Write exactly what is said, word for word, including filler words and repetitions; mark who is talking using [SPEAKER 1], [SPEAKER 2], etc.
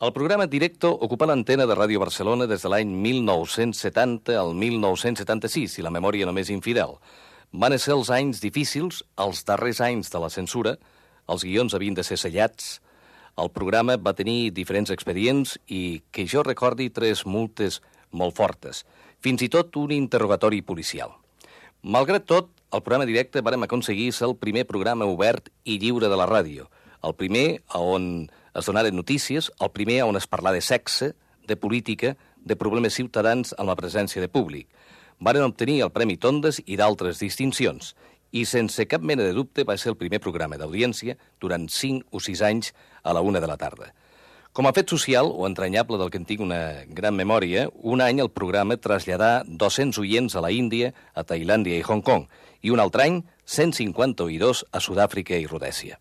[SPEAKER 1] El programa Directo ocupa l'antena de Ràdio Barcelona des de l'any mil nou-cents setanta al mil nou-cents setanta-sis, si la memòria només infidel. Van ser els anys difícils, els darrers anys de la censura, els guions havien de ser sellats, el programa va tenir diferents expedients i, que jo recordi, tres multes molt fortes, fins i tot un interrogatori policial. Malgrat tot, el programa Directe vàrem aconseguir ser el primer programa obert i lliure de la ràdio, el primer on es donaren notícies, el primer on es parla de sexe, de política, de problemes ciutadans amb la presència de públic. Varen obtenir el Premi Tondes i d'altres distincions, i sense cap mena de dubte va ser el primer programa d'audiència durant cinc o sis anys a la una de la tarda. Com a fet social, o entranyable del que en tinc una gran memòria, un any el programa traslladà dos-cents oients a la Índia, a Tailàndia i Hong Kong, i un altre any cent cinquanta oïdors a Sud-àfrica i Rodèsia.